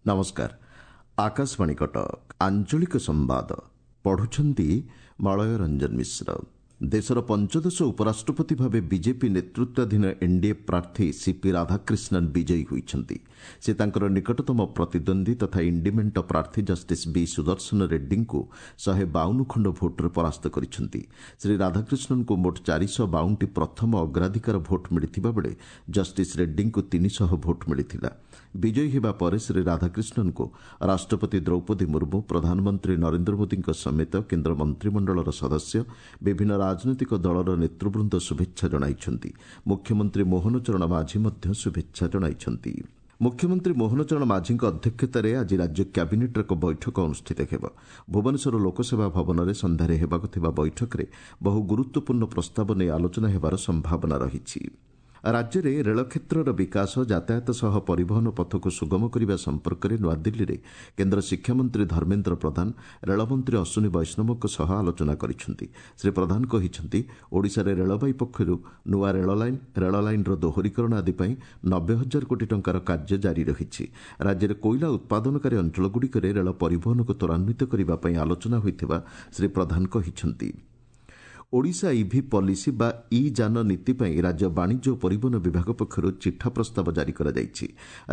ନମସ୍କାର, ଆକାଶବାଣୀ କଟକ। ଆଞ୍ଚଳିକ ସମ୍ବାଦ ପଢୁଛନ୍ତି ମଳୟ ରଞ୍ଜନ ମିଶ୍ର। ଦେଶର ପଞ୍ଚଦଶ ଉପରାଷ୍ଟ୍ରପତି ଭାବେ ବିଜେପି ନେତୃତ୍ୱାଧୀନ ଏନ୍ଡିଏ ପ୍ରାର୍ଥୀ ସିପି ରାଧାକ୍ରିଷ୍ଣନ୍ ବିଜୟୀ ହୋଇଛନ୍ତି। ସେ ତାଙ୍କର ନିକଟତମ ପ୍ରତିଦ୍ୱନ୍ଦ୍ୱୀ ତଥା ଇଣ୍ଡି ମେଣ୍ଟ ପ୍ରାର୍ଥୀ ଜଷ୍ଟିସ୍ ବି ସୁଦର୍ଶନ ରେଡ୍ଡୀଙ୍କୁ 152 ଖଣ୍ଡ ଭୋଟ୍ରେ ପରାସ୍ତ କରିଛନ୍ତି। ଶ୍ରୀ ରାଧାକ୍ରିଷ୍ଣନ୍ଙ୍କୁ ମୋଟ 452ଟି ପ୍ରଥମ ଅଗ୍ରାଧିକାର ଭୋଟ୍ ମିଳିଥିବା ବେଳେ ଜଷ୍ଟିସ୍ ରେଡ୍ଡୀଙ୍କୁ 300 ଭୋଟ୍ ମିଳିଥିଲା। ବିଜୟୀ ହେବା ପରେ ଶ୍ରୀ ରାଧାକ୍ରିଷ୍ଣନ୍ଙ୍କୁ ରାଷ୍ଟ୍ରପତି ଦ୍ରୌପଦୀ ମୁର୍ମୁ, ପ୍ରଧାନମନ୍ତ୍ରୀ ନରେନ୍ଦ୍ର ମୋଦିଙ୍କ ସମେତ କେନ୍ଦ୍ର ମନ୍ତ୍ରିମଣ୍ଡଳର ସଦସ୍ୟ, ବିଭିନ୍ନ ରାଜନୈତିକ ଦଳର ନେତୃବୃନ୍ଦ ଶୁଭେଚ୍ଛା ଜଣାଇଛନ୍ତି। ମୁଖ୍ୟମନ୍ତ୍ରୀ ମୋହନ ଚରଣ ମାଝୀ ମଧ୍ୟ ଶୁଭେଚ୍ଛା ଜଣାଇଛନ୍ତି। ମୁଖ୍ୟମନ୍ତ୍ରୀ ମୋହନ ଚରଣ ମାଝୀଙ୍କ ଅଧ୍ୟକ୍ଷତାରେ ଆଜି ରାଜ୍ୟ କ୍ୟାବିନେଟ୍ର ଏକ ବୈଠକ ଅନୁଷ୍ଠିତ ହେବ। ଭୁବନେଶ୍ୱର ଲୋକସେବା ଭବନରେ ସନ୍ଧ୍ୟାରେ ହେବାକୁ ଥିବା ବୈଠକରେ ବହୁ ଗୁରୁତ୍ୱପୂର୍ଣ୍ଣ ପ୍ରସ୍ତାବ ନେଇ ଆଲୋଚନା ହେବାର ସମ୍ଭାବନା ରହିଛି। ରାଜ୍ୟରେ ରେଳ କ୍ଷେତ୍ରର ବିକାଶ, ଯାତାୟାତ ସହ ପରିବହନ ପଥକୁ ସୁଗମ କରିବା ସମ୍ପର୍କରେ ନୂଆଦିଲ୍ଲୀରେ କେନ୍ଦ୍ର ଶିକ୍ଷାମନ୍ତ୍ରୀ ଧର୍ମେନ୍ଦ୍ର ପ୍ରଧାନ ରେଳମନ୍ତ୍ରୀ ଅଶ୍ୱିନୀ ବୈଷ୍ଣବଙ୍କ ସହ ଆଲୋଚନା କରିଛନ୍ତି। ଶ୍ରୀ ପ୍ରଧାନ କହିଛନ୍ତି, ଓଡ଼ିଶାରେ ରେଳବାଇ ପକ୍ଷରୁ ନୂଆ ରେଳଲାଇନ୍, ରେଳଲାଇନ୍ର ଦୋହରୀକରଣ ଆଦି ପାଇଁ 90 ହଜାର କୋଟି ଟଙ୍କାର କାର୍ଯ୍ୟ ଜାରି ରହିଛି। ରାଜ୍ୟରେ କୋଇଲା ଉତ୍ପାଦନକାରୀ ଅଞ୍ଚଳଗୁଡ଼ିକରେ ରେଳ ପରିବହନକୁ ତ୍ୱରାନ୍ୱିତ କରିବା ପାଇଁ ଆଲୋଚନା ହୋଇଥିବା ଶ୍ରୀ ପ୍ରଧାନ କହିଛନ୍ତି। ଓଡ଼ିଶା ଇଭି ପଲିସି ବା ଇ ଯାନ ନୀତି ପାଇଁ ରାଜ୍ୟ ବାଣିଜ୍ୟ ଓ ପରିବହନ ବିଭାଗ ପକ୍ଷରୁ ଚିଠା ପ୍ରସ୍ତାବ ଜାରି କରାଯାଇଛି।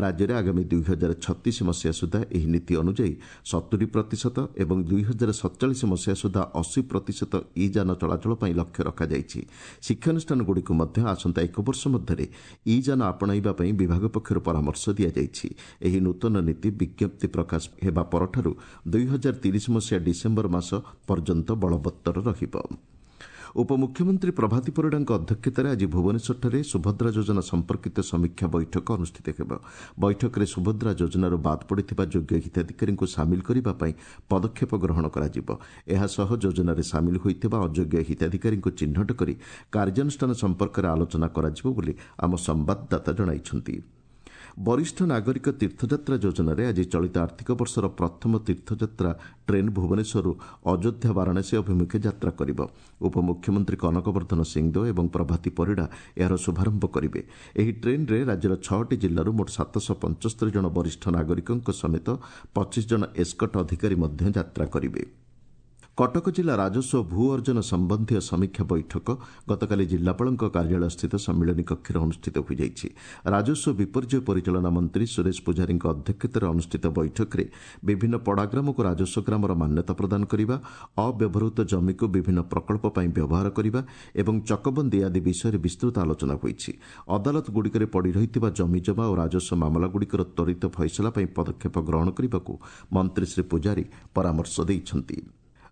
ରାଜ୍ୟରେ ଆଗାମୀ 2036 ମସିହା ସୁଦ୍ଧା ଏହି ନୀତି ଅନୁଯାୟୀ 70 ପ୍ରତିଶତ ଏବଂ 2047 ମସିହା ସୁଦ୍ଧା 80 ପ୍ରତିଶତ ଇ ଯାନ ଚଳାଚଳ ପାଇଁ ଲକ୍ଷ୍ୟ ରଖାଯାଇଛି। ଶିକ୍ଷାନୁଷ୍ଠାନଗୁଡ଼ିକୁ ମଧ୍ୟ ଆସନ୍ତା ଏକ ବର୍ଷ ମଧ୍ୟରେ ଇ ଯାନ ଆପଣାଇବା ପାଇଁ ବିଭାଗ ପକ୍ଷରୁ ପରାମର୍ଶ ଦିଆଯାଇଛି। ଏହି ନୂତନ ନୀତି ବିଜ୍ଞପ୍ତି ପ୍ରକାଶ ହେବା ପରଠାରୁ 2030 ମସିହା ଡିସେମ୍ବର ମାସ ପର୍ଯ୍ୟନ୍ତ ବଳବତ୍ତର ରହିବ। ଉପମୁଖ୍ୟମନ୍ତ୍ରୀ ପ୍ରଭାତୀ ପରିଡ଼ାଙ୍କ ଅଧ୍ୟକ୍ଷତାରେ ଆଜି ଭୁବନେଶ୍ୱରଠାରେ ସୁଭଦ୍ରା ଯୋଜନା ସମ୍ପର୍କିତ ସମୀକ୍ଷା ବୈଠକ ଅନୁଷ୍ଠିତ ହେବ। ବୈଠକରେ ସୁଭଦ୍ରା ଯୋଜନାରୁ ବାଦ୍ ପଡ଼ିଥିବା ଯୋଗ୍ୟ ହିତାଧିକାରୀଙ୍କୁ ସାମିଲ କରିବା ପାଇଁ ପଦକ୍ଷେପ ଗ୍ରହଣ କରାଯିବ। ଏହାସହ ଯୋଜନାରେ ସାମିଲ ହୋଇଥିବା ଅଯୋଗ୍ୟ ହିତାଧିକାରୀଙ୍କୁ ଚିହ୍ନଟ କରି କାର୍ଯ୍ୟାନୁଷ୍ଠାନ ସମ୍ପର୍କରେ ଆଲୋଚନା କରାଯିବ ବୋଲି ଆମ ସମ୍ବାଦଦାତା ଜଣାଇଛନ୍ତି। ବରିଷ୍ଠ ନାଗରିକ ତୀର୍ଥଯାତ୍ରା ଯୋଜନାରେ ଆଜି ଚଳିତ ଆର୍ଥିକ ବର୍ଷର ପ୍ରଥମ ତୀର୍ଥଯାତ୍ରା ଟ୍ରେନ୍ ଭୁବନେଶ୍ୱରରୁ ଅଯୋଧ୍ୟା ବାରାଣସୀ ଅଭିମୁଖେ ଯାତ୍ରା କରିବ। ଉପମୁଖ୍ୟମନ୍ତ୍ରୀ କନକବର୍ଦ୍ଧନ ସିଂଦେଓ ଏବଂ ପ୍ରଭାତୀ ପରିଡ଼ା ଏହାର ଶୁଭାରମ୍ଭ କରିବେ। ଏହି ଟ୍ରେନ୍ରେ ରାଜ୍ୟର 6ଟି ଜିଲ୍ଲାରୁ ମୋଟ 775 ଜଣ ବରିଷ୍ଠ ନାଗରିକଙ୍କ ସମେତ 25 ଜଣ ଏସ୍କଟ୍ ଅଧିକାରୀ ମଧ୍ୟ ଯାତ୍ରା କରିବେ। କଟକ ଜିଲ୍ଲା ରାଜସ୍ୱ ଭୂ ଅର୍ଜନ ସମ୍ବନ୍ଧୀୟ ସମୀକ୍ଷା ବୈଠକ ଗତକାଲି ଜିଲ୍ଲାପାଳଙ୍କ କାର୍ଯ୍ୟାଳୟସ୍ଥିତ ସମ୍ମିଳନୀ କକ୍ଷରେ ଅନୁଷ୍ଠିତ ହୋଇଯାଇଛି। ରାଜସ୍ୱ ବିପର୍ଯ୍ୟୟ ପରିଚାଳନା ମନ୍ତ୍ରୀ ସୁରେଶ ପୂଜାରୀଙ୍କ ଅଧ୍ୟକ୍ଷତାରେ ଅନୁଷ୍ଠିତ ବୈଠକରେ ବିଭିନ୍ନ ପଡ଼ାଗ୍ରାମକୁ ରାଜସ୍ୱ ଗ୍ରାମର ମାନ୍ୟତା ପ୍ରଦାନ କରିବା, ଅବ୍ୟବହୃତ ଜମିକୁ ବିଭିନ୍ନ ପ୍ରକଳ୍ପ ପାଇଁ ବ୍ୟବହାର କରିବା ଏବଂ ଚକବନ୍ଦୀ ଆଦି ବିଷୟରେ ବିସ୍ତୃତ ଆଲୋଚନା ହୋଇଛି। ଅଦାଲତଗୁଡ଼ିକରେ ପଡ଼ି ରହିଥିବା ଜମିଜମା ଓ ରାଜସ୍ୱ ମାମଲାଗୁଡ଼ିକର ତ୍ୱରିତ ଫଇସଲା ପାଇଁ ପଦକ୍ଷେପ ଗ୍ରହଣ କରିବାକୁ ମନ୍ତ୍ରୀ ଶ୍ରୀ ପୂଜାରୀ ପରାମର୍ଶ ଦେଇଛନ୍ତି।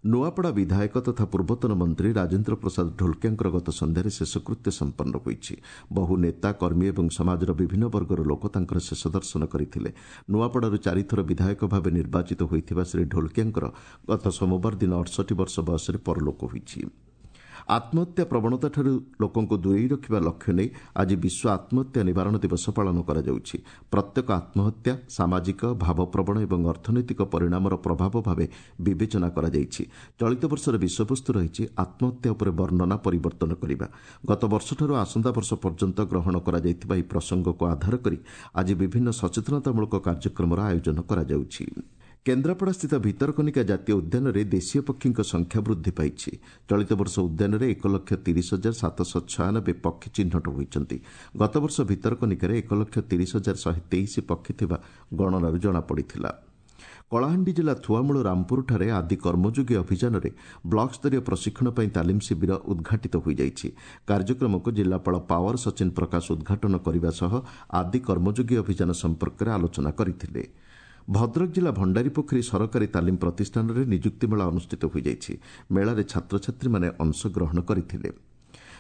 ନୂଆପଡ଼ା ବିଧାୟକ ତଥା ପୂର୍ବତନ ମନ୍ତ୍ରୀ ରାଜେନ୍ଦ୍ର ପ୍ରସାଦ ଢୋଲକିଆଙ୍କର ଗତ ସନ୍ଧ୍ୟାରେ ଶେଷକୃତ୍ୟ ସମ୍ପନ୍ନ ହୋଇଛି। ବହୁ ନେତା, କର୍ମୀ ଏବଂ ସମାଜର ବିଭିନ୍ନ ବର୍ଗର ଲୋକ ତାଙ୍କର ଶେଷ ଦର୍ଶନ କରିଥିଲେ। ନୂଆପଡ଼ାରୁ 4ଥର ବିଧାୟକ ଭାବେ ନିର୍ବାଚିତ ହୋଇଥିବା ଶ୍ରୀ ଢୋଲକିଆଙ୍କର ଗତ ସୋମବାର ଦିନ 68 ବର୍ଷ ବୟସରେ ପରଲୋକ ହୋଇଛି। ଆତ୍ମହତ୍ୟା ପ୍ରବଣତାଠାରୁ ଲୋକଙ୍କୁ ଦୂରେଇ ରଖିବା ଲକ୍ଷ୍ୟ ନେଇ ଆଜି ବିଶ୍ୱ ଆତ୍ମହତ୍ୟା ନିବାରଣ ଦିବସ ପାଳନ କରାଯାଉଛି। ପ୍ରତ୍ୟେକ ଆତ୍ମହତ୍ୟା ସାମାଜିକ, ଭାବପ୍ରବଣ ଏବଂ ଅର୍ଥନୈତିକ ପରିଣାମର ପ୍ରଭାବ ଭାବେ ବିବେଚନା କରାଯାଇଛି। ଚଳିତ ବର୍ଷର ବିଷୟବସ୍ତୁ ରହିଛି ଆତ୍ମହତ୍ୟା ଉପରେ ବର୍ଣ୍ଣନା ପରିବର୍ତ୍ତନ କରିବା। ଗତ ବର୍ଷଠାରୁ ଆସନ୍ତା ବର୍ଷ ପର୍ଯ୍ୟନ୍ତ ଗ୍ରହଣ କରାଯାଇଥିବା ଏହି ପ୍ରସଙ୍ଗକୁ ଆଧାର କରି ଆଜି ବିଭିନ୍ନ ସଚେତନତାମୂଳକ କାର୍ଯ୍ୟକ୍ରମର ଆୟୋଜନ କରାଯାଉଛି। କେନ୍ଦ୍ରାପଡ଼ାସ୍ଥିତ ଭିତରକନିକା ଜାତୀୟ ଉଦ୍ୟାନରେ ଦେଶୀୟ ପକ୍ଷୀଙ୍କ ସଂଖ୍ୟା ବୃଦ୍ଧି ପାଇଛି। ଚଳିତ ବର୍ଷ ଉଦ୍ୟାନରେ 1,30,796 ପକ୍ଷୀ ଚିହ୍ନଟ ହୋଇଛନ୍ତି। ଗତବର୍ଷ ଭିତରକନିକାରେ 1,30,123 ପକ୍ଷୀ ଥିବା ଗଣନାରୁ ଜଣାପଡ଼ିଥିଲା। କଳାହାଣ୍ଡି ଜିଲ୍ଲା ଥୁଆମୂଳ ରାମପୁରଠାରେ ଆଦି କର୍ମଯୋଗୀ ଅଭିଯାନରେ ବ୍ଲକସ୍ତରୀୟ ପ୍ରଶିକ୍ଷଣ ପାଇଁ ତାଲିମ ଶିବିର ଉଦ୍ଘାଟିତ ହୋଇଯାଇଛି। କାର୍ଯ୍ୟକ୍ରମକୁ ଜିଲ୍ଲାପାଳ ପାୱାର ସଚିନ ପ୍ରକାଶ ଉଦ୍ଘାଟନ କରିବା ସହ ଆଦି କର୍ମଯୋଗୀ ଅଭିଯାନ ସମ୍ପର୍କରେ ଆଲୋଚନା କରିଥିଲେ। ଭଦ୍ରକ ଜିଲ୍ଲା ଭଣ୍ଡାରୀପୋଖରୀ ସରକାରୀ ତାଲିମ ପ୍ରତିଷ୍ଠାନରେ ନିଯୁକ୍ତି ମେଳା ଅନୁଷ୍ଠିତ ହୋଇଯାଇଛି। ମେଳାରେ ଛାତ୍ରଛାତ୍ରୀମାନେ ଅଂଶଗ୍ରହଣ କରିଥିଲେ।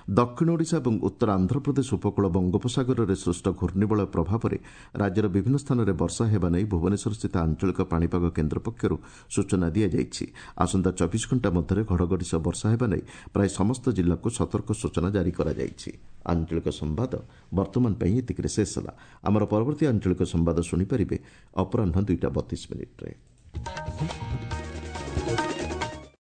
ଦକ୍ଷିଣ ଓଡ଼ିଶା ଏବଂ ଉତ୍ତର ଆନ୍ଧ୍ରପ୍ରଦେଶ ଉପକୂଳ ବଙ୍ଗୋପସାଗରରେ ସୃଷ୍ଟ ଘୂର୍ଣ୍ଣିବଳୟ ପ୍ରଭାବରେ ରାଜ୍ୟର ବିଭିନ୍ନ ସ୍ଥାନରେ ବର୍ଷା ହେବା ନେଇ ଭୁବନେଶ୍ୱରସ୍ଥିତ ଆଞ୍ଚଳିକ ପାଣିପାଗ କେନ୍ଦ୍ର ପକ୍ଷରୁ ସୂଚନା ଦିଆଯାଇଛି। ଆସନ୍ତା 24 ଘଣ୍ଟା ମଧ୍ୟରେ ଘଡ଼ଘଡ଼ି ସହ ବର୍ଷା ହେବା ନେଇ ପ୍ରାୟ ସମସ୍ତ ଜିଲ୍ଲାକୁ ସତର୍କ ସୂଚନା ଜାରି କରାଯାଇଛି। ଆଞ୍ଚଳିକ ସମ୍ବାଦ ବର୍ତ୍ତମାନ ପାଇଁ ଏତିକିରେ ଶେଷ ହେଲା। ଆମର ପରବର୍ତ୍ତୀ ଆଞ୍ଚଳିକ ସମ୍ବାଦ ଶୁଣିପାରିବେ ଅପରାହ୍ନ 2ଟା 32 ମିନିଟ୍ରେ।